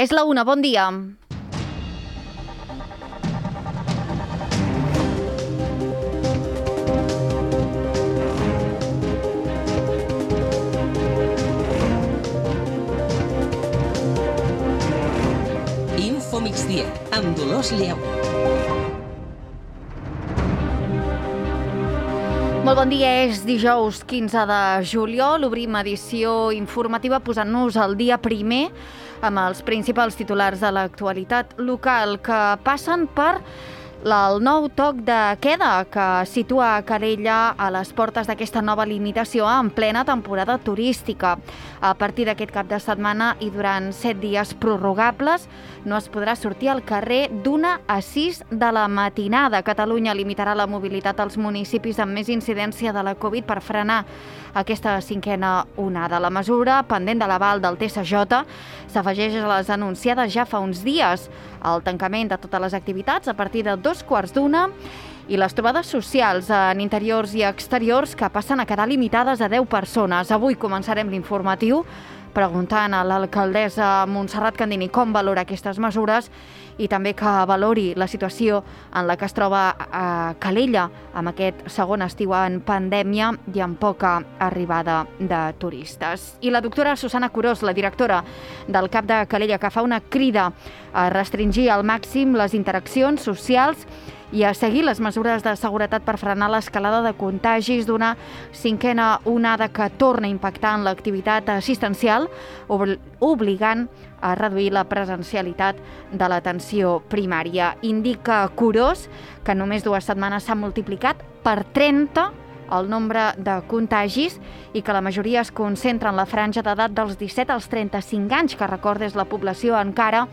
És la 1, bon dia. Info Migdia, amb Dolors Lleu. Molt bon dia, és dijous 15 de juliol. Obrim edició informativa posant-nos al dia primer amb els principals titulars de l'actualitat local que passen per el nou toc de queda que situa Calella a les portes d'aquesta nova limitació en plena temporada turística. A partir d'aquest cap de setmana i durant 7 dies prorrogables no es podrà sortir al carrer d'1 a 6 de la matinada. Catalunya limitarà la mobilitat als municipis amb més incidència de la Covid per frenar aquesta cinquena onada. La mesura, pendent de l'aval del TSJ, s'afegeix a les anunciades ja fa uns dies. El tancament de totes les activitats a partir de 2:15 i les trobades socials en interiors i exteriors que passen a quedar limitades a 10 persones. Avui començarem l'informatiu preguntant a l'alcaldessa Montserrat Candini com valora aquestes mesures i també que valori la situació en la que es troba a Calella amb aquest segon estiu en pandèmia i amb poca arribada de turistes. I la doctora Susana Curós, la directora del CAP de Calella, que fa una crida a restringir al màxim les interaccions socials i a seguir les mesures de seguretat per frenar l'escalada de contagis d'una cinquena onada que torna a impactar en l'activitat assistencial, obligant a reduir la presencialitat de l'atenció primària. Indica Curós que només 2 setmanes s'ha multiplicat per 30 el nombre de contagis i que la majoria es concentra en la franja d'edat dels 17 als 35 anys, que recorda és la població encara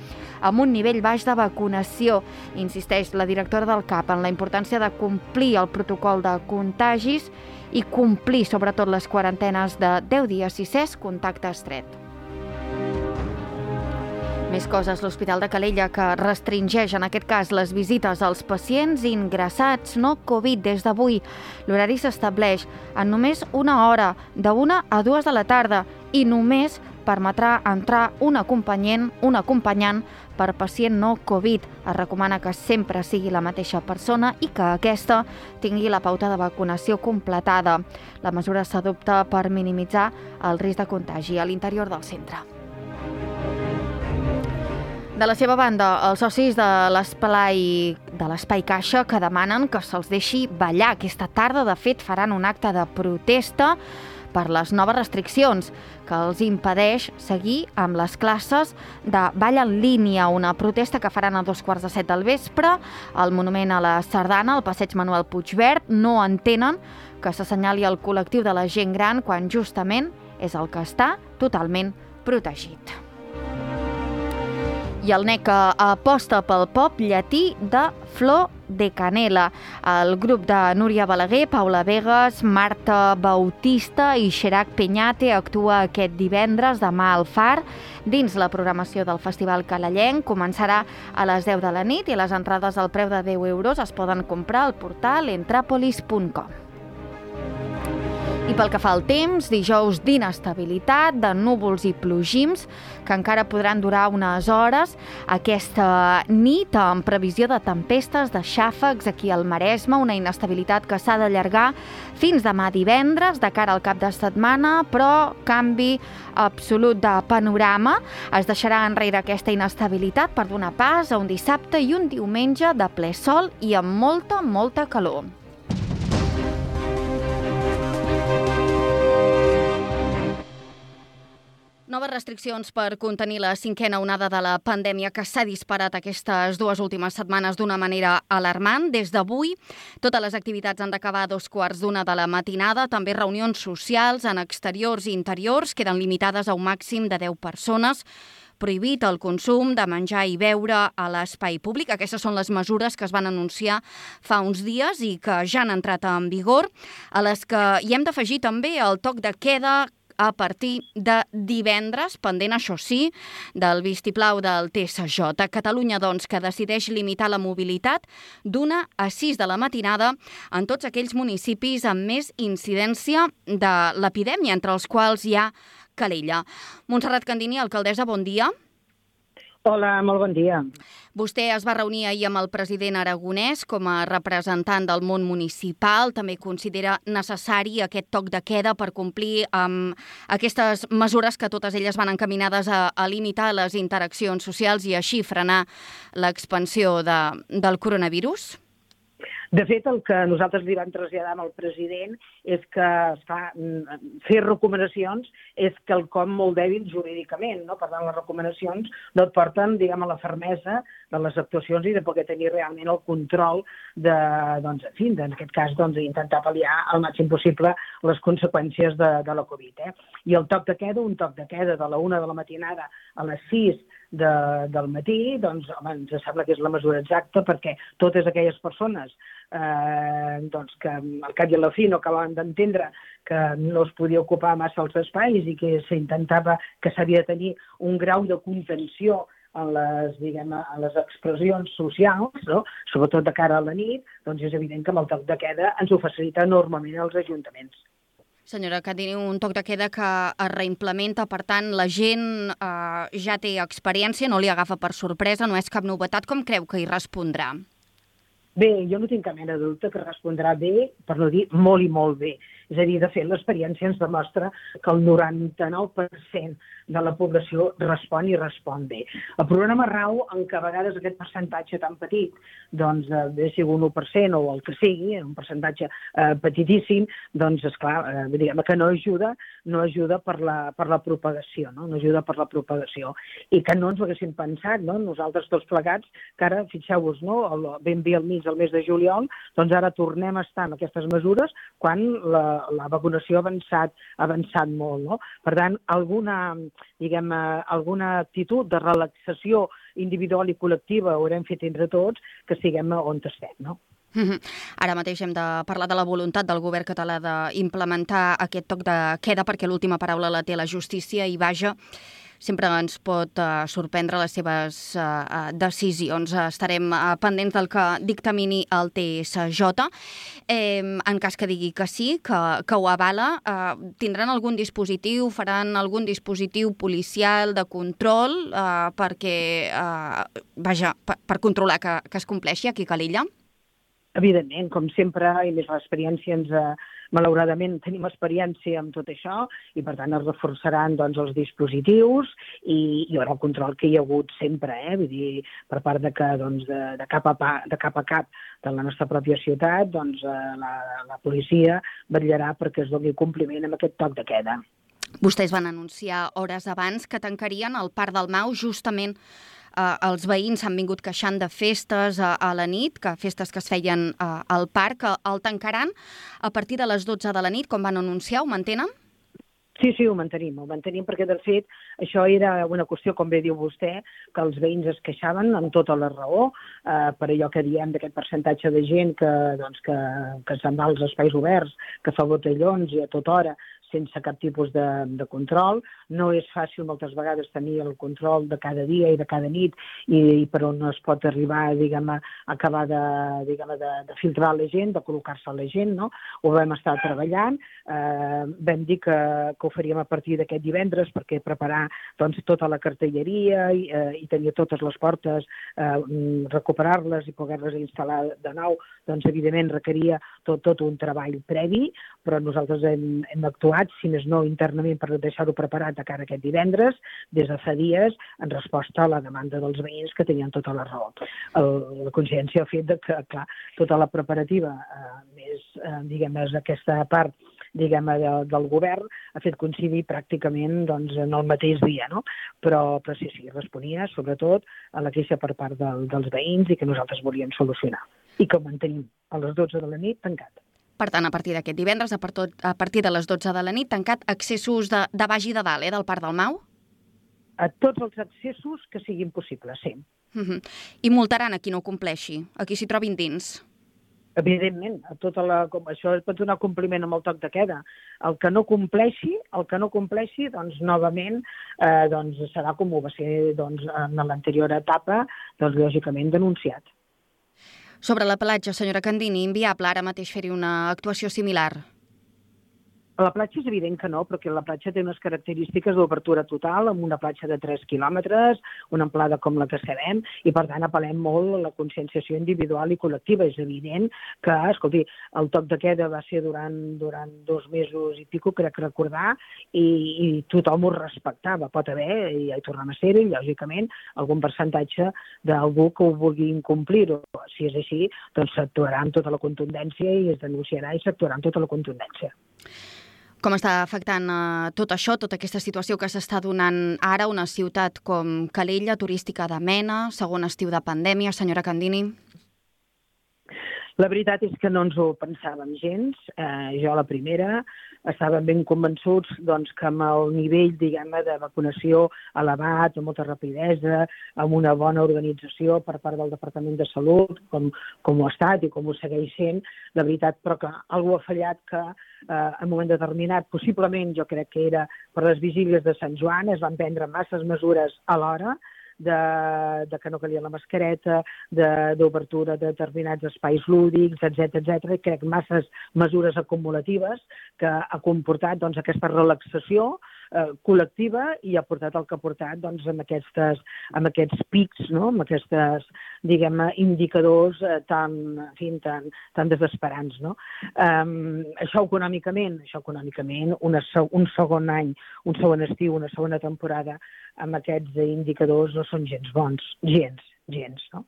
amb un nivell baix de vacunació. Insisteix la directora del CAP en la importància de complir el protocol de contagis i complir sobretot les quarantenes de 10 dies si s'és contacte estret. Més coses, l'Hospital de Calella, que restringeix en aquest cas les visites als pacients ingressats no Covid des d'avui. L'horari s'estableix en només una hora, de 1 a 2 de la tarda, i només permetrà entrar un acompanyant per pacient no Covid. Es recomana que sempre sigui la mateixa persona i que aquesta tingui la pauta de vacunació completada. La mesura s'adopta per minimitzar el risc de contagi a l'interior del centre. De la seva banda, els socis de l'Espai Caixa que demanen que se'ls deixi ballar. Aquesta tarda, de fet, faran un acte de protesta per les noves restriccions que els impedeix seguir amb les classes de ball en línia, una protesta que faran a 2:15 del vespre al Monument a la Sardana, al passeig Manuel Puigverd. No entenen que s'assenyali el col·lectiu de la gent gran quan justament és el que està totalment protegit. I el NEC aposta pel pop llatí de Flor de Canela. El grup de Núria Balaguer, Paula Vegas, Marta Bautista i Xerac Peñate actua aquest divendres demà al Far dins la programació del Festival Calellenc. Començarà a les 10 de la nit i les entrades al preu de 10 euros es poden comprar al portal entrapolis.com. I pel que fa al temps, dijous d'inestabilitat, de núvols i plogims, que encara podran durar unes hores. Aquesta nit, amb previsió de tempestes, de xàfecs aquí al Maresme, una inestabilitat que s'ha d'allargar fins demà divendres, de cara al cap de setmana, però canvi absolut de panorama. Es deixarà enrere aquesta inestabilitat per donar pas a un dissabte i un diumenge de ple sol i amb molta calor. Noves restriccions per contenir la cinquena onada de la pandèmia que s'ha disparat aquestes 2 últimes setmanes d'una manera alarmant. Des d'avui, totes les activitats han d'acabar a 2:15 de la matinada. També reunions socials en exteriors i interiors queden limitades a un màxim de 10 persones. Prohibit el consum de menjar i beure a l'espai públic. Aquestes són les mesures que es van anunciar fa uns dies i que ja han entrat en vigor, a les que hi hem d'afegir també el toc de queda a partir de divendres, pendent, això sí, del vistiplau del TSJ. Catalunya, doncs, que decideix limitar la mobilitat d'1 a 6 de la matinada en tots aquells municipis amb més incidència de l'epidèmia, entre els quals hi ha Calella. Montserrat Candini, alcaldessa, bon dia. Hola, molt bon dia. Vostè es va reunir ahir amb el president Aragonès com a representant del món municipal. També considera necessari aquest toc de queda per complir amb aquestes mesures que totes elles van encaminades a limitar les interaccions socials i així frenar l'expansió del coronavirus? De fet, el que nosaltres li vam traslladar al president és que fer recomanacions és quelcom molt dèbil jurídicament, no? Per tant, les recomanacions no et porten, diguem, a la fermesa de les actuacions i de poder tenir realment el control de, doncs, en fi, en aquest cas, doncs, intentar pal·liar al màxim possible les conseqüències de la Covid. I el toc de queda, un toc de queda de la 1 de la matinada a les 6 del matí, doncs, home, ens sembla que és la mesura exacta perquè totes aquelles persones doncs, que al cap i a la fi no acabaven d'entendre que no es podia ocupar massa els espais i que s'intentava que s'havia de tenir un grau de contenció en les, diguem, en les expressions socials, no? Sobretot de cara a la nit, doncs és evident que amb el toc de queda ens ho facilita enormement als ajuntaments. Senyora Candini, un toc de queda que es reimplementa, per tant, la gent ja té experiència, no li agafa per sorpresa, no és cap novetat. Com creu que hi respondrà? Bé, jo no tinc cap mena de dubte que respondrà bé, per no dir molt i molt bé. És a dir, de fet, l'experiència ens demostra que el 99% de la població respon i respon bé. El problema rau en què a vegades aquest percentatge tan petit, doncs, sigui un 1% o el que sigui, un percentatge petitíssim, doncs, esclar, diguem que no ajuda per la propagació, no? No ajuda per la propagació. I que no ens ho haguéssim pensat, no? Nosaltres tots plegats, que ara, fixeu-vos, no? Ben bé al mig del mes de juliol, doncs ara tornem a estar en aquestes mesures quan la vacunació ha avançat molt, no? Per tant, alguna actitud de relaxació individual i col·lectiva haurem fet entre tots que siguem on estem, no? Ara mateix hem de parlar de la voluntat del govern català d'implementar aquest toc de queda perquè l'última paraula la té la justícia i vaja, sempre ens pot sorprendre les seves decisions. Estarem pendents del que dictamini el TSJ. En cas que digui que sí, que ho avala, tindran algun dispositiu, faran algun dispositiu policial de control perquè, vaja, per controlar que es compleixi aquí a Calella? Evidentment, com sempre, i més l'experiència malauradament tenim experiència amb tot això i per tant es reforçaran doncs, els dispositius i hi haurà el control que hi ha hagut sempre, vull dir, per part de cap a cap de la nostra pròpia ciutat, doncs la policia vetllarà perquè es doni compliment amb aquest toc de queda. Vostès van anunciar hores abans que tancarien el Parc del Mau justament. Els veïns s'han vingut queixant de festes a la nit, que festes que es feien al parc, el tancaran a partir de les 12 de la nit, com van anunciar, ho mantenen? Sí, ho mantenim perquè de fet això era una qüestió, com bé diu vostè, que els veïns es queixaven amb tota la raó per allò que diem d'aquest percentatge de gent que se'n va als espais oberts, que fa botellons i a tota hora sense cap tipus de control. No és fàcil moltes vegades tenir el control de cada dia i de cada nit i per on es pot arribar, diguem, a acabar de filtrar la gent, de col·locar-se a la gent, no? Ho vam estar treballant, vam dir que ho faríem a partir d'aquest divendres perquè preparar doncs, tota la cartelleria i tenir totes les portes, recuperar-les i poder-les instal·lar de nou, doncs evidentment requeria tot un treball previ, però nosaltres hem actuat, si més no internament, per deixar-ho preparat de cara a aquest divendres, des de fa dies, en resposta a la demanda dels veïns que tenien tota la raó. La consciència ha fet que, clar, tota la preparativa, més, diguem, aquesta part del govern, ha fet coincidir pràcticament en el mateix dia, no? Però sí, responia sobretot a la queixa per part dels veïns i que nosaltres volíem solucionar. I que ho mantenim a les 12 de la nit tancat. Per tant, a partir d'aquest divendres, a partir de les 12 de la nit, tancat accessos de baix i de dalt, del Parc del Mau? A tots els accessos que siguin possibles, sí. I multaran a qui no compleixi, a qui s'hi trobin dins? Evidentment, això pot donar compliment amb el toc de queda. El que no compleixi, doncs, novament, serà com ho va ser en l'anterior etapa, doncs, lògicament denunciat. Sobre la platja, senyora Candini, inviable ara mateix fer-hi una actuació similar? A la platja és evident que no, perquè la platja té unes característiques d'obertura total, amb una platja de 3 quilòmetres, una amplada com la que sabem, i per tant apel·lem molt a la conscienciació individual i col·lectiva. És evident que, escolti, el toc de queda va ser durant 2 mesos i pico, crec recordar, i tothom ho respectava. Pot haver, i ja hi tornem a ser-hi, lògicament, algun percentatge d'algú que ho vulgui incomplir-ho. Si és així, doncs s'actuarà amb tota la contundència i es denunciarà i s'actuarà amb tota la contundència. Com està afectant tot això, tota aquesta situació que s'està donant ara una ciutat com Calella, turística de mena, segon estiu de pandèmia, senyora Candini? La veritat és que no ens ho pensàvem gens. Jo, la primera, estàvem ben convençuts doncs, que amb el nivell, diguem-ne, de vacunació elevat, amb molta rapidesa, amb una bona organització per part del Departament de Salut, com ho ha estat i com ho segueix sent, la veritat, però que algú ha fallat que en un moment determinat, possiblement jo crec que era per les vigílies de Sant Joan, es van prendre masses mesures alhora, de que no calia la mascareta, d'obertura de determinats espais lúdics, etc. Crec masses mesures acumulatives que ha comportat doncs, aquesta relaxació col·lectiva i ha portat el que ha portat doncs, amb aquests pics, no? Amb aquests, diguem-ne, indicadors tan desesperants. No? Això econòmicament, un segon any, un segon estiu, una segona temporada, amb aquests indicadors no són gens bons, gens. No?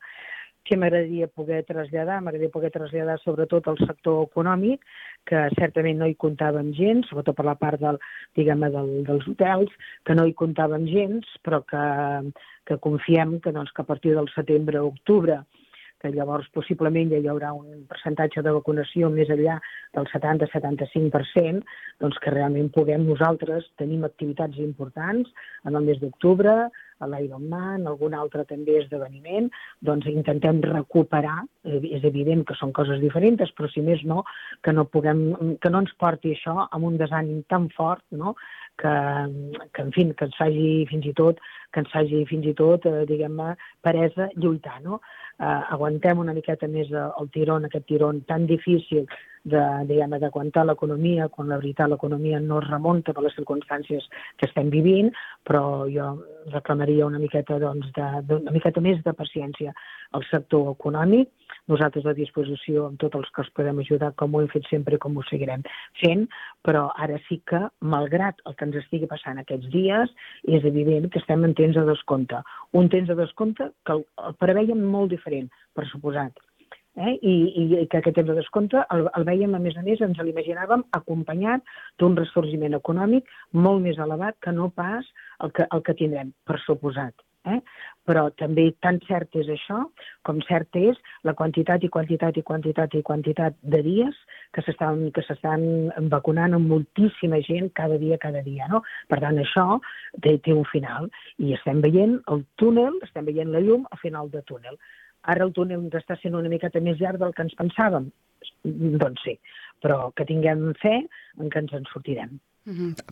Què m'agradaria poder traslladar? M'agradaria poder traslladar sobretot al sector econòmic, que certament no hi comptàvem gens, sobretot per la part dels hotels, que no hi comptàvem gens, però que confiem que a partir del setembre o octubre, que llavors possiblement ja hi haurà un percentatge de vacunació més enllà del 70-75%, doncs que realment puguem nosaltres tenim activitats importants en el mes d'octubre, a l'Ironman, algun altre també esdeveniment, doncs intentem recuperar, és evident que són coses diferents, però si més no, que no ens porti això amb un desànim tan fort, no? que ens faci fins i tot, diguem-ne, peresa lluitar, no? Aguantem una miqueta més el tirón, aquest tirón tan difícil d'aguantar l'economia, quan la veritat l'economia no es remunta per les circumstàncies que estem vivint, però jo reclamaria una miqueta més de paciència al sector econòmic. Nosaltres a disposició amb tots els que els podem ajudar, com ho hem fet sempre i com ho seguirem fent, però ara sí que, malgrat el que ens estigui passant aquests dies, és evident que estem en temps de descompte. Un temps de descompte que el preveiem molt diferent, per suposat. I que aquest temps de descompte el veiem, a més, ens l'imaginàvem acompanyat d'un ressorgiment econòmic molt més elevat que no pas el que tindrem, per suposat. Però també tan cert és això com cert és la quantitat de dies que s'estan vacunant amb moltíssima gent cada dia. No? Per tant, això té un final i estem veient el túnel, estem veient la llum al final del túnel. Ara el túnel ens està sent una miqueta més llarg del que ens pensàvem? Doncs sí, però que tinguem fe en que ens en sortirem.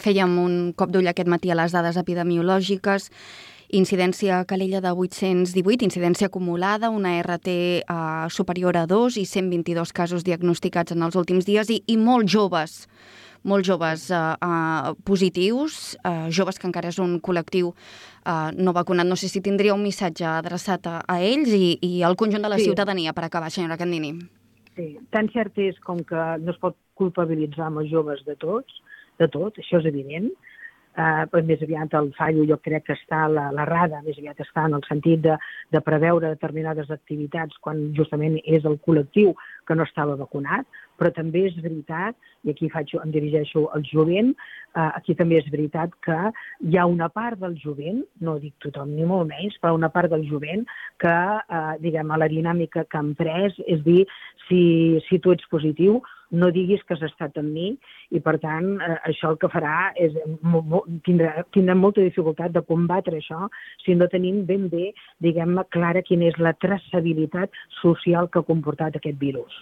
Fèiem un cop d'ull aquest matí a les dades epidemiològiques. Incidència a Calella de 818, incidència acumulada, una RT superior a 2 i 122 casos diagnosticats en els últims dies i molt joves positius, joves que encara és un col·lectiu no vacunat. No sé si tindria un missatge adreçat a ells i al conjunt de la ciutadania per acabar, senyora Candini. Sí, tan cert és com que no es pot culpabilitzar amb els joves de tot, això és evident. Més aviat el fallo jo crec que està, l'errada més aviat està en el sentit de preveure determinades activitats quan justament és el col·lectiu que no estava vacunat, però també és veritat, i aquí em dirigeixo al jovent, aquí també és veritat que hi ha una part del jovent, no dic tothom ni molt menys, però una part del jovent que, diguem, a la dinàmica que han pres, és dir, si tu ets positiu, no diguis que has estat amb mi i, per tant, això el que farà és tindrà molta dificultat de combatre això si no tenim ben bé, diguem-ne, clara quina és la traçabilitat social que ha comportat aquest virus.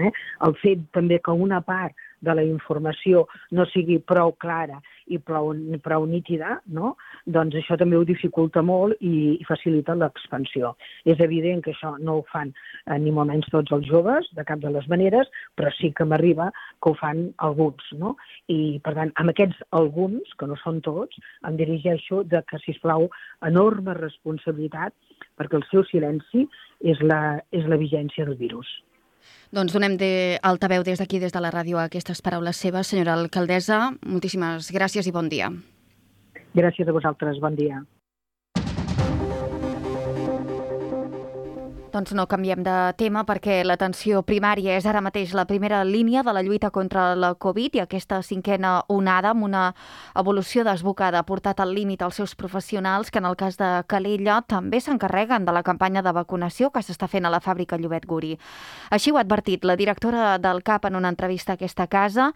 El fet també que una part de la informació no sigui prou clara i prou nítida, no? Doncs això també ho dificulta molt i facilita l'expansió. És evident que això no ho fan ni molt menys tots els joves, de cap de les maneres, però sí que m'arriba que ho fan alguns, no? I, per tant, amb aquests alguns, que no són tots, em dirigeixo de que, sisplau, enorme responsabilitat, perquè el seu silenci és la vigència del virus. Doncs donem altaveu des d'aquí, des de la ràdio, a aquestes paraules seves. Senyora alcaldessa, moltíssimes gràcies i bon dia. Gràcies a vosaltres, bon dia. Doncs no canviem de tema perquè l'atenció primària és ara mateix la primera línia de la lluita contra la Covid i aquesta cinquena onada amb una evolució desbocada ha portat al límit els seus professionals que en el cas de Calella també s'encarreguen de la campanya de vacunació que s'està fent a la fàbrica Llobet Guri. Així ho ha advertit la directora del CAP en una entrevista a aquesta casa,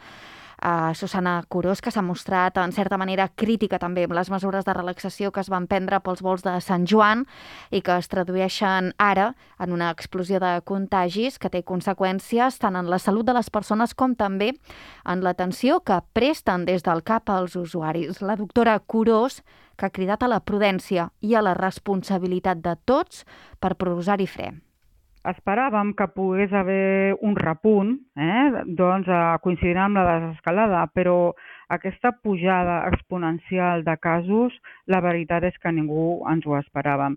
Susana Curós, que s'ha mostrat en certa manera crítica també amb les mesures de relaxació que es van prendre pels vols de Sant Joan i que es tradueixen ara en una explosió de contagis que té conseqüències tant en la salut de les persones com també en l'atenció que presten des del CAP als usuaris. La doctora Curós, que ha cridat a la prudència i a la responsabilitat de tots per posar-hi fre. Esperàvem que pogués haver un repunt, doncs coincidint amb la desescalada, però aquesta pujada exponencial de casos, la veritat és que ningú ens ho esperàvem.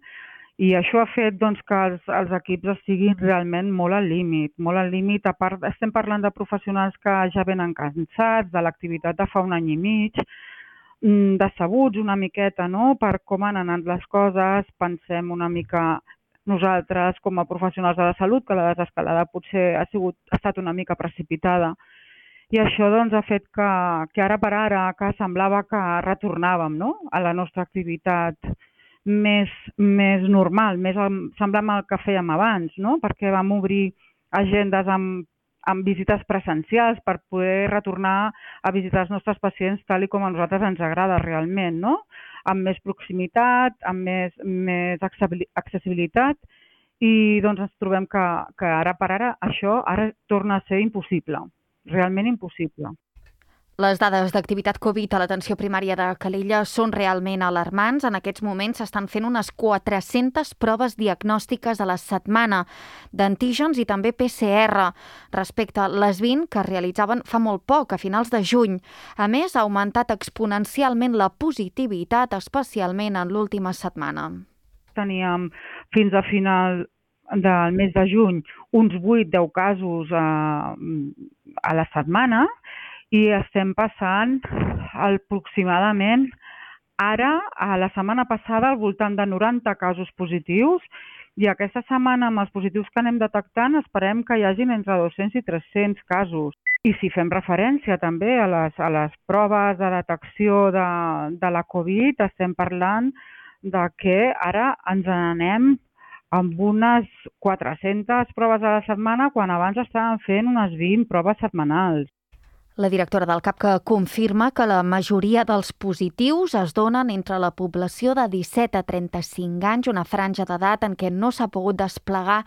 I això ha fet doncs, que els equips estiguin realment molt al límit. Molt al límit, a part, estem parlant de professionals que ja venen cansats de l'activitat de fa un any i mig, decebuts una miqueta, no?, per com han anat les coses, pensem una mica nosaltres com a professionals de la salut, que la desescalada potser ha estat una mica precipitada. I això doncs, ha fet que ara per ara que semblava que retornàvem, no?, a la nostra activitat més normal, més semblant al que fèiem abans, no?, perquè vam obrir agendes amb visites presencials per poder retornar a visitar els nostres pacients tal com a nosaltres ens agrada realment, no?, amb més proximitat, amb més accessibilitat i doncs ens trobem que ara per ara això ara torna a ser impossible, realment impossible. Les dades d'activitat Covid a l'atenció primària de Calella són realment alarmants. En aquests moments s'estan fent unes 400 proves diagnòstiques a la setmana d'antígens i també PCR respecte a les 20 que es realitzaven fa molt poc, a finals de juny. A més, ha augmentat exponencialment la positivitat, especialment en l'última setmana. Teníem fins a final del mes de juny uns 8-10 casos a la setmana, i estem passant aproximadament ara, a la setmana passada, al voltant de 90 casos positius i aquesta setmana amb els positius que anem detectant esperem que hi hagin entre 200 i 300 casos. I si fem referència també a les proves de detecció de la Covid, estem parlant de que ara ens n'anem amb unes 400 proves a la setmana quan abans estàvem fent unes 20 proves setmanals. La directora del CAP que confirma que la majoria dels positius es donen entre la població de 17 a 35 anys, una franja d'edat en què no s'ha pogut desplegar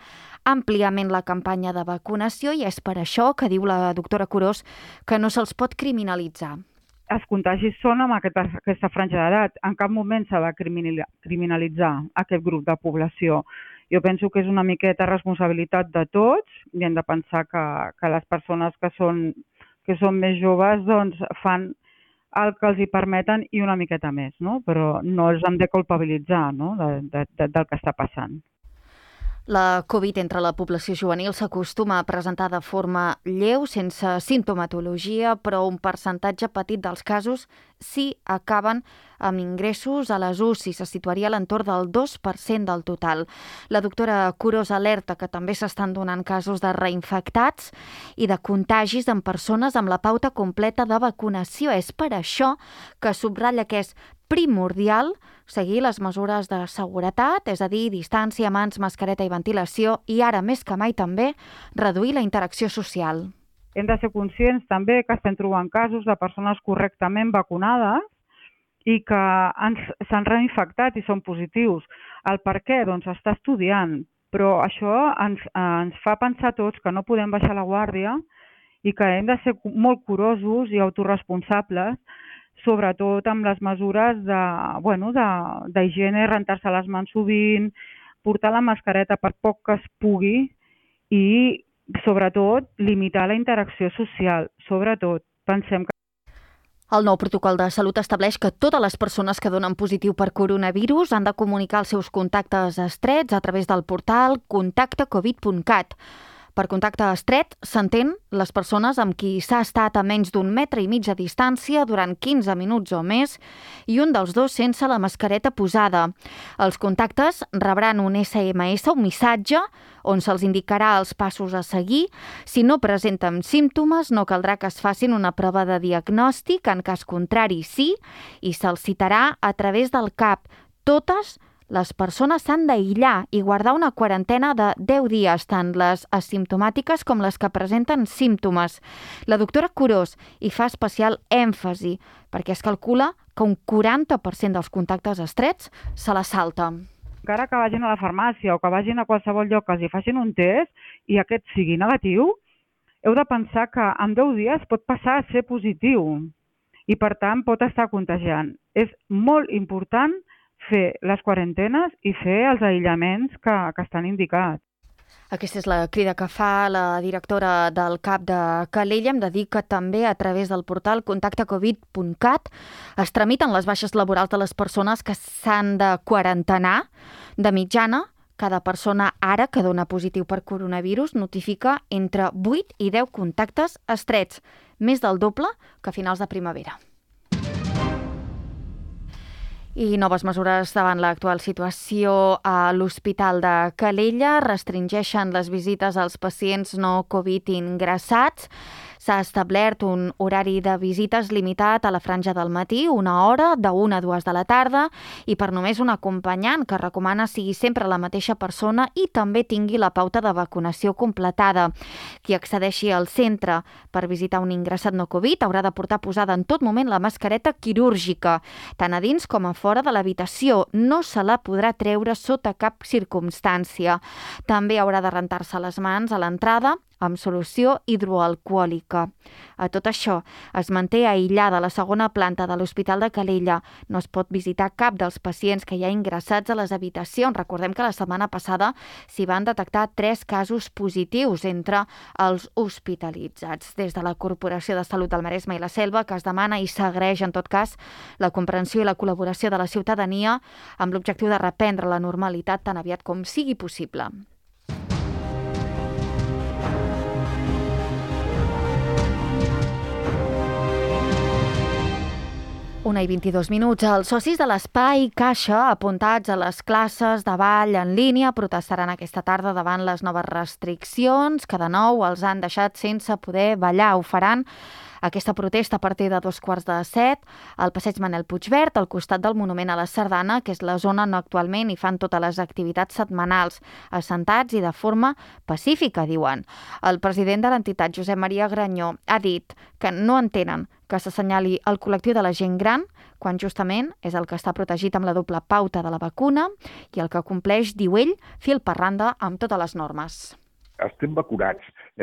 àmpliament la campanya de vacunació i és per això que diu la doctora Curós que no se'ls pot criminalitzar. Els contagis són amb aquesta franja d'edat. En cap moment s'ha de criminalitzar aquest grup de població. Jo penso que és una miqueta responsabilitat de tots i hem de pensar que les persones que són més joves doncs, fan el que els hi permeten i una miqueta més, no? Però no els hem de culpabilitzar, no?, del que està passant. La Covid entre la població juvenil s'acostuma a presentar de forma lleu, sense simptomatologia, però un percentatge petit dels casos sí acaben amb ingressos a les UCI, se situaria a l'entorn del 2% del total. La doctora Curós alerta que també s'estan donant casos de reinfectats i de contagis en persones amb la pauta completa de vacunació. És per això que subratlla que és primordial seguir les mesures de seguretat, és a dir, distància, mans, mascareta i ventilació, i ara més que mai també reduir la interacció social. Hem de ser conscients també que estem trobant casos de persones correctament vacunades i que s'han reinfectat i són positius. El per què? Doncs està estudiant, però això ens fa pensar tots que no podem baixar la guàrdia i que hem de ser molt curosos i autorresponsables, sobretot amb les mesures d'higiene, rentar-se les mans sovint, portar la mascareta per poc que es pugui i, sobretot, limitar la interacció social. Sobretot, pensem que el nou protocol de salut estableix que totes les persones que donen positiu per coronavirus han de comunicar els seus contactes estrets a través del portal contactecovid.cat. Per contacte estret s'entén les persones amb qui s'ha estat a menys d'1,5 metre de distància durant 15 minuts o més i un dels dos sense la mascareta posada. Els contactes rebran un SMS, un missatge, on se'ls indicarà els passos a seguir. Si no presenten símptomes, no caldrà que es facin una prova de diagnòstic, en cas contrari sí, i se'ls citarà a través del CAP. Totes les persones s'han d'aïllar i guardar una quarantena de 10 dies, tant les asimptomàtiques com les que presenten símptomes. La doctora Curós hi fa especial èmfasi, perquè es calcula que un 40% dels contactes estrets se la salta. Encara que vagin a la farmàcia o que vagin a qualsevol lloc que els hi facin un test i aquest sigui negatiu, heu de pensar que en 10 dies pot passar a ser positiu i, per tant, pot estar contagiant. És molt important fer les quarantenes i fer els aïllaments que estan indicats. Aquesta és la crida que fa la directora del CAP de Calella. Hem de dir que també a través del portal contactecovid.cat es tramiten les baixes laborals de les persones que s'han de quarantenar. De mitjana, cada persona ara que dona positiu per coronavirus notifica entre 8 i 10 contactes estrets, més del doble que a finals de primavera. I noves mesures davant l'actual situació a l'Hospital de Calella restringeixen les visites als pacients no Covid ingressats. S'ha establert un horari de visites limitat a la franja del matí, 1 hora, de 1 a 2 de la tarda, i per només un acompanyant, que recomana sigui sempre la mateixa persona i també tingui la pauta de vacunació completada. Qui accedeixi al centre per visitar un ingressat no Covid haurà de portar posada en tot moment la mascareta quirúrgica, tant a dins com a fora de l'habitació. No se la podrà treure sota cap circumstància. També haurà de rentar-se les mans a l'entrada amb solució hidroalcohòlica. A tot això, es manté aïllada la segona planta de l'Hospital de Calella. No es pot visitar cap dels pacients que hi ha ingressats a les habitacions. Recordem que la setmana passada s'hi van detectar 3 casos positius entre els hospitalitzats. Des de la Corporació de Salut del Maresme i la Selva, que es demana i s'agraeix en tot cas la comprensió i la col·laboració de la ciutadania amb l'objectiu de reprendre la normalitat tan aviat com sigui possible. Una i 22 minuts. Els socis de l'Espai Caixa, apuntats a les classes de ball en línia, protestaran aquesta tarda davant les noves restriccions que de nou els han deixat sense poder ballar. Ho faran aquesta protesta a partir de 6:45 al passeig Manel Puigverd, al costat del Monument a la Sardana, que és la zona on actualment hi fan totes les activitats setmanals, assentats i de forma pacífica, diuen. El president de l'entitat, Josep Maria Granyó, ha dit que no entenen que s'assenyali el col·lectiu de la gent gran, quan justament és el que està protegit amb la doble pauta de la vacuna i el que compleix, diu ell, fil per randa amb totes les normes. Estem vacunats,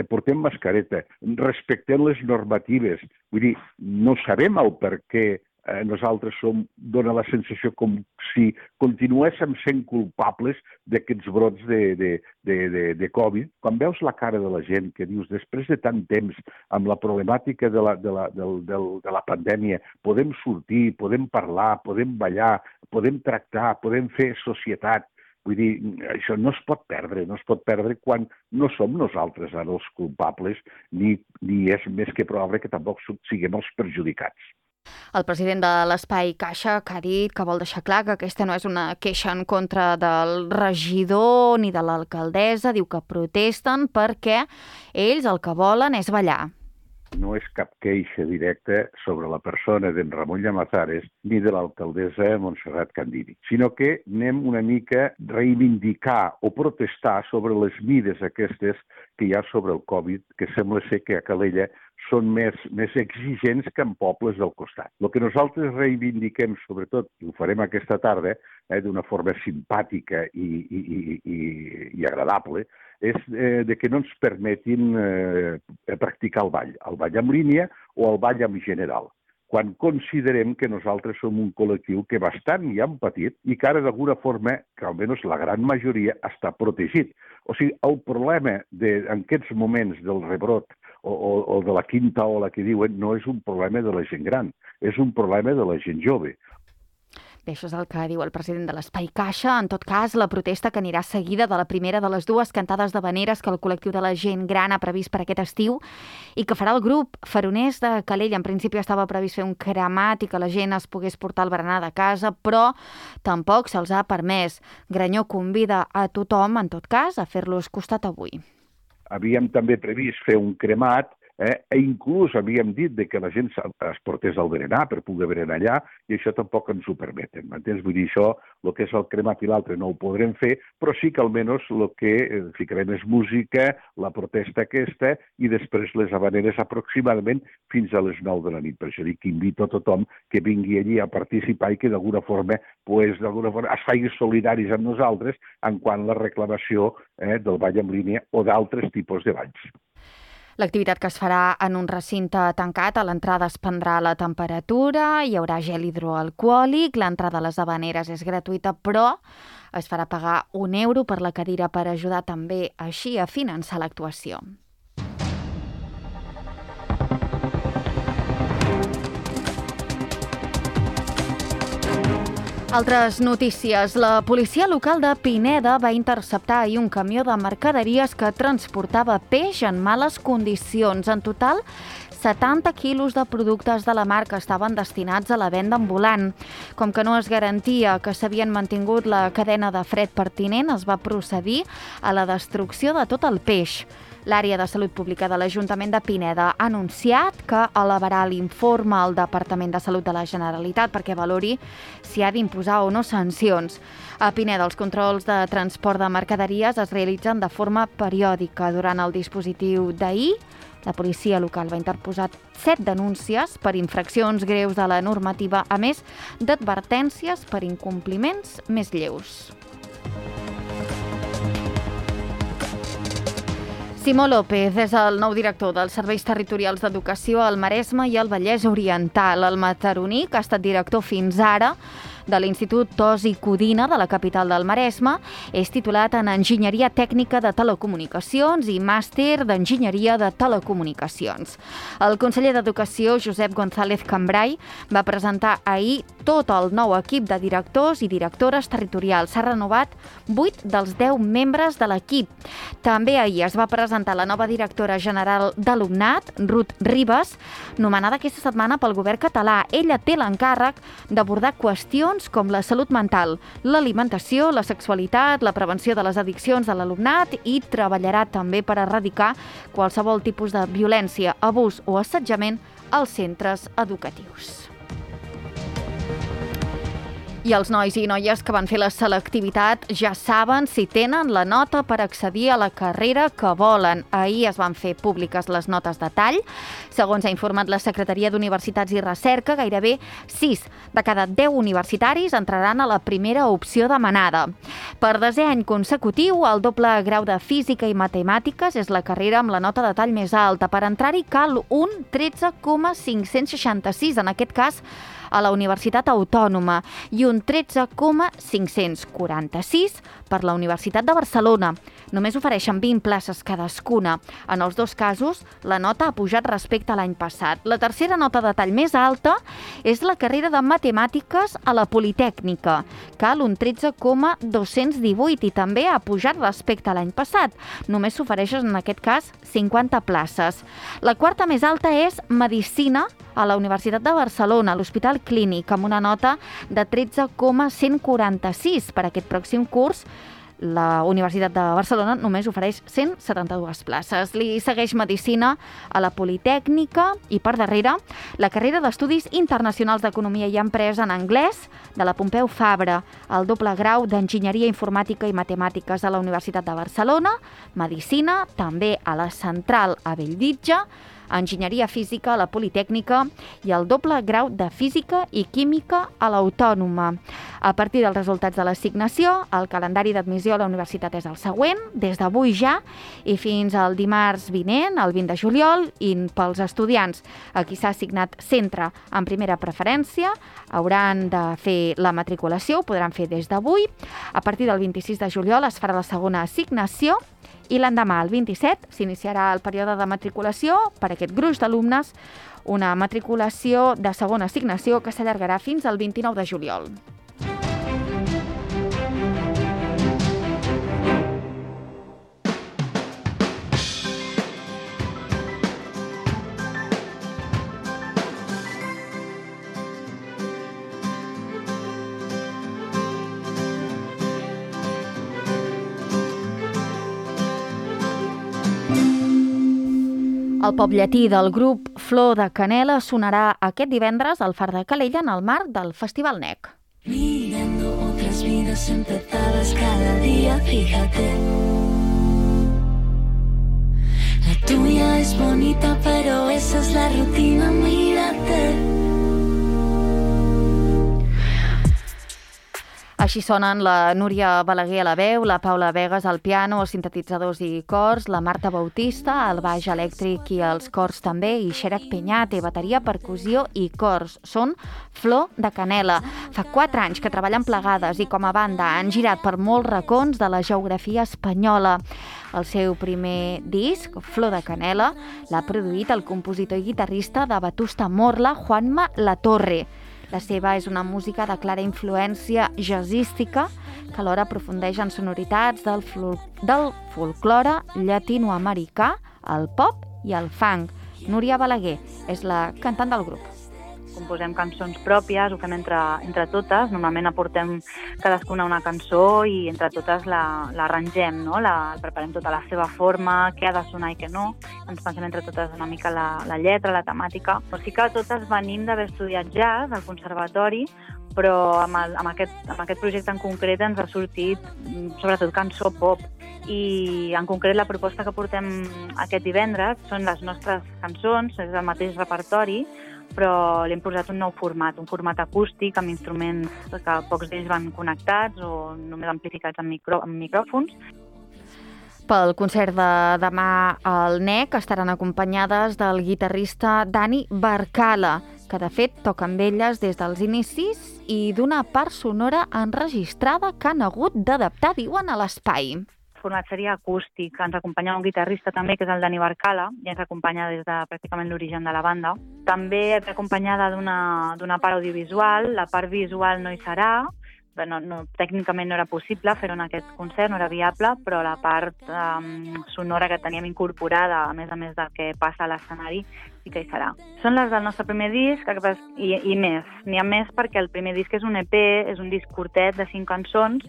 portem mascareta, respectem les normatives. Vull dir, no sabem el per què nosaltres dona la sensació com si continuéssim sent culpables d'aquests brots de Covid. Quan veus la cara de la gent que dius, després de tant temps, amb la problemàtica de la pandèmia, podem sortir, podem parlar, podem ballar, podem tractar, podem fer societat. Vull dir, això no es pot perdre quan no som nosaltres ara els culpables, ni és més que probable que tampoc siguem els perjudicats. El president de l'Espai Caixa, que ha dit que vol deixar clar que aquesta no és una queixa en contra del regidor ni de l'alcaldessa, diu que protesten perquè ells el que volen és ballar. No és cap queixa directa sobre la persona d'en Ramon Llamazares ni de l'alcaldessa Montserrat Candini, sinó que anem una mica a reivindicar o protestar sobre les mides aquestes que hi ha sobre el Covid, que sembla ser que a Calella són més exigents que en pobles del costat. El que nosaltres reivindiquem, sobretot, i ho farem aquesta tarda, d'una forma simpàtica i agradable, és de que no ens permetin practicar el ball en línia o el ball en general, quan considerem que nosaltres som un col·lectiu que bastant ja han patit i que ara d'alguna forma, que almenys la gran majoria, està protegit. O sigui, el problema en aquests moments del rebrot o de la quinta ola que diuen no és un problema de la gent gran, és un problema de la gent jove. Bé, això és el que diu el president de l'Espai Caixa. En tot cas, la protesta que anirà seguida de la primera de les dues cantades d'havaneres que el col·lectiu de la gent gran ha previst per aquest estiu i que farà el grup Faroners de Calella. En principi estava previst fer un cremat i que la gent es pogués portar el berenar de casa, però tampoc se'ls ha permès. Granyó convida a tothom, en tot cas, a fer-los costat avui. Havíem també previst fer un cremat, inclús havíem dit que la gent es portés al berenar per poder berenar allà, i això tampoc ens ho permeten. M'entens? Vull dir, això, el que és el cremat i l'altre no ho podrem fer, però sí que almenys el que ficarem és música, la protesta aquesta, i després les havaneres aproximadament fins a les 9 de la nit. Per això dic que invito a tothom que vingui allí a participar i que d'alguna forma es faci solidaris amb nosaltres en quant a la reclamació del ball en línia o d'altres tipus de balls. L'activitat que es farà en un recinte tancat, a l'entrada es prendrà la temperatura, hi haurà gel hidroalcohòlic, l'entrada a les havaneres és gratuïta, però es farà pagar €1 per la cadira per ajudar també així a finançar l'actuació. Altres notícies. La policia local de Pineda va interceptar ahir un camió de mercaderies que transportava peix en males condicions. En total, 70 quilos de productes de la marca estaven destinats a la venda ambulant. Com que no es garantia que s'havien mantingut la cadena de fred pertinent, es va procedir a la destrucció de tot el peix. L'àrea de Salut Pública de l'Ajuntament de Pineda ha anunciat que elevarà l'informe al Departament de Salut de la Generalitat perquè valori si ha d'imposar o no sancions. A Pineda, els controls de transport de mercaderies es realitzen de forma periòdica. Durant el dispositiu d'ahir, la policia local va interposar 7 denúncies per infraccions greus de la normativa, a més d'advertències per incompliments més lleus. Simó López és el nou director dels Serveis Territorials d'Educació al Maresme i al Vallès Oriental. El mataroní, que ha estat director fins ara de l'Institut Tos i Codina de la capital del Maresme, és titulat en Enginyeria Tècnica de Telecomunicacions i màster d'Enginyeria de Telecomunicacions. El conseller d'Educació, Josep González Cambrai, va presentar ahir tot el nou equip de directors i directores territorials. S'ha renovat 8 dels 10 membres de l'equip. També ahir es va presentar la nova directora general d'Alumnat, Ruth Ribas, nomenada aquesta setmana pel govern català. Ella té l'encàrrec d'abordar qüestions com la salut mental, l'alimentació, la sexualitat, la prevenció de les addiccions de l'alumnat i treballarà també per erradicar qualsevol tipus de violència, abús o assetjament als centres educatius. I els nois i noies que van fer la selectivitat ja saben si tenen la nota per accedir a la carrera que volen. Ahir es van fer públiques les notes de tall. Segons ha informat la Secretaria d'Universitats i Recerca, gairebé 6 de cada 10 universitaris entraran a la primera opció demanada. Per 10è any consecutiu, el doble grau de Física i Matemàtiques és la carrera amb la nota de tall més alta. Per entrar-hi cal un 13,566, en aquest cas a la Universitat Autònoma, i un 13,546 per la Universitat de Barcelona. Només ofereixen 20 places cadascuna. En els dos casos, la nota ha pujat respecte a l'any passat. La tercera nota de tall més alta és la carrera de Matemàtiques a la Politècnica. Cal un 13,218 i també ha pujat respecte a l'any passat. Només s'ofereixen, en aquest cas, 50 places. La quarta més alta és Medicina a la Universitat de Barcelona, a l'Hospital Clínic, amb una nota de 13,146 per aquest pròxim curs. La Universitat de Barcelona només ofereix 172 places. Li segueix Medicina a la Politècnica i, per darrere, la carrera d'Estudis Internacionals d'Economia i Empresa en anglès de la Pompeu Fabra, el doble grau d'Enginyeria Informàtica i Matemàtiques a la Universitat de Barcelona, Medicina, també a la Central a Bellvitge, Enginyeria Física a la Politècnica i el doble grau de Física i Química a l'Autònoma. A partir dels resultats de l'assignació, el calendari d'admissió a la universitat és el següent, des d'avui ja i fins al dimarts vinent, el 20 de juliol, i pels estudiants a qui s'ha assignat centre en primera preferència, hauran de fer la matriculació, ho podran fer des d'avui. A partir del 26 de juliol es farà la segona assignació i l'endemà, el 27, s'iniciarà el període de matriculació per a aquest gruix d'alumnes, una matriculació de segona assignació que s'allargarà fins al 29 de juliol. El pop llatí del grup Flor de Canela sonarà aquest divendres al Far de Calella en el marc del Festival NEC. Mirando otras vidas empezadas cada día, fíjate. La tuya es bonita, pero esa es la rutina, mírate. Així sonen la Núria Balaguer a la veu, la Paula Vegas al piano, els sintetitzadors i cors, la Marta Bautista al baix elèctric i els cors també, i Xerac Peñate, bateria, percussió i cors. Són Flor de Canela. Fa 4 anys que treballen plegades i com a banda han girat per molts racons de la geografia espanyola. El seu primer disc, Flor de Canela, l'ha produït el compositor i guitarrista de Vetusta Morla, Juanma Latorre. La seva és una música de clara influència jazzística que alhora aprofundeix en sonoritats del folklore llatinoamericà, el pop i el funk. Núria Balaguer és la cantant del grup. Composem cançons pròpies, ho fem entre totes, normalment aportem cadascuna una cançó i entre totes l'arrangem, no? Preparem tota la seva forma, què ha de sonar i què no, ens pensem entre totes una mica la lletra, la temàtica. Però sí que totes venim d'haver estudiat jazz al conservatori, però amb aquest projecte en concret ens ha sortit sobretot cançó pop. I en concret la proposta que portem aquest divendres són les nostres cançons, és el mateix repertori, però li hem posat un nou format, un format acústic amb instruments que pocs d'ells van connectats o només amplificats amb micròfons. Pel concert de demà al NEC estaran acompanyades del guitarrista Dani Barcala, que de fet toca amb elles des dels inicis i d'una part sonora enregistrada que han hagut d'adaptar, diuen, a l'espai. El format seria acústic. Ens acompanya un guitarrista també, que és el Dani Barcala, i ens acompanya des de pràcticament l'origen de la banda. També acompanyada d'una part audiovisual. La part visual no hi serà. Tècnicament no era possible fer-ho en aquest concert, no era viable, però la part sonora que teníem incorporada, a més del que passa a l'escenari, sí que hi serà. Són les del nostre primer disc i més. N'hi ha més perquè el primer disc és un EP, és un disc curtet de 5 cançons,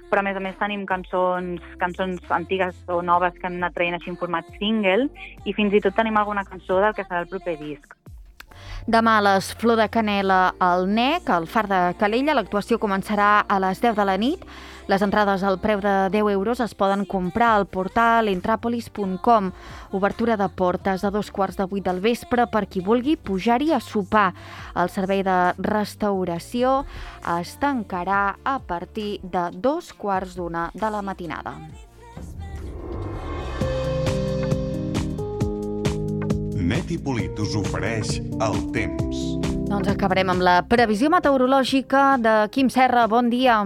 però a més tenim cançons antigues o noves que hem anat traient així en format single i fins i tot tenim alguna cançó del que serà el proper disc. Demà a les Flor de Canela al NEC, al Far de Calella. L'actuació començarà a les 10 de la nit. Les entrades al preu de 10 euros es poden comprar al portal entrapolis.com. Obertura de portes a 7:15 del vespre per qui vulgui pujar-hi a sopar. El servei de restauració es tancarà a partir de 2:15 de la matinada. Neti Polit us ofereix el temps. Doncs acabarem amb la previsió meteorològica de Quim Serra. Bon dia.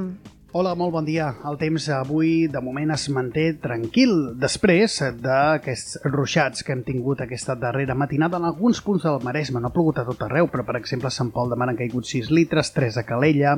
Hola, molt bon dia. El temps avui, de moment, es manté tranquil després d'aquests ruixats que hem tingut aquesta darrera matinada en alguns punts del Maresme. No ha plogut a tot arreu, però, per exemple, a Sant Pol de Mar han caigut 6 litres, 3 a Calella,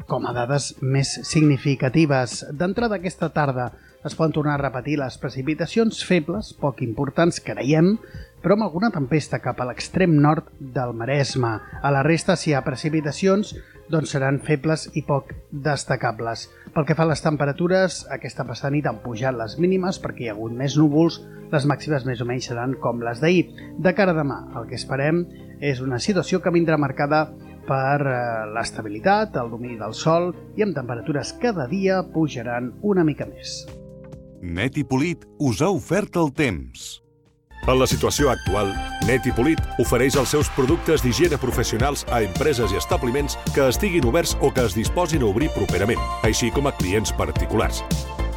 com a dades més significatives. D'entrada aquesta tarda es poden tornar a repetir les precipitacions febles, poc importants, creiem, però amb alguna tempesta cap a l'extrem nord del Maresme. A la resta, si hi ha precipitacions, doncs seran febles i poc destacables. Pel que fa a les temperatures, aquesta passada nit han pujat les mínimes perquè hi ha hagut més núvols, les màximes més o menys seran com les d'ahir. De cara a demà, el que esperem és una situació que vindrà marcada per l'estabilitat, el domini del sol i amb temperatures cada dia pujaran una mica més. Neti Polit us ha ofert el temps. En la situació actual, Net i Polit ofereix els seus productes d'higiene professionals a empreses i establiments que estiguin oberts o que es disposin a obrir properament, així com a clients particulars.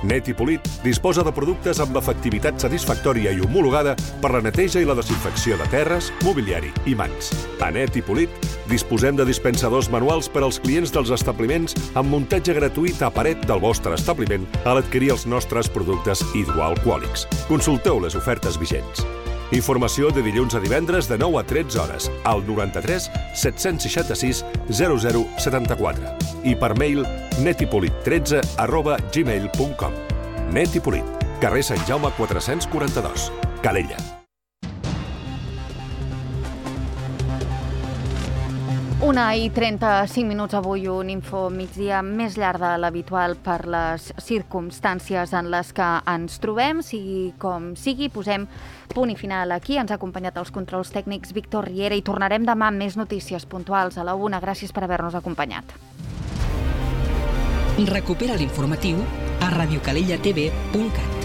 Net i Polit disposa de productes amb l'efectivitat satisfactòria i homologada per la neteja i la desinfecció de terres, mobiliari i mans. A Net i Polit disposem de dispensadors manuals per als clients dels establiments amb muntatge gratuït a paret del vostre establiment a l'adquirir els nostres productes hidroalcohòlics. Consulteu les ofertes vigents. Informació de dilluns a divendres de 9 a 13 hores al 93 766 0074 i per mail netipolit13@gmail.com. Net i Polit, carrer Sant Jaume 442, Calella. Una i 35 minuts avui, un info migdia més llarg de l'habitual per les circumstàncies en les que ens trobem. Sigui com sigui, posem punt i final aquí. Ens ha acompanyat els controls tècnics Víctor Riera i tornarem demà amb més notícies puntuals a la 1. Gràcies per haver-nos acompanyat. Recupera l'informatiu a radiocalellatv.cat.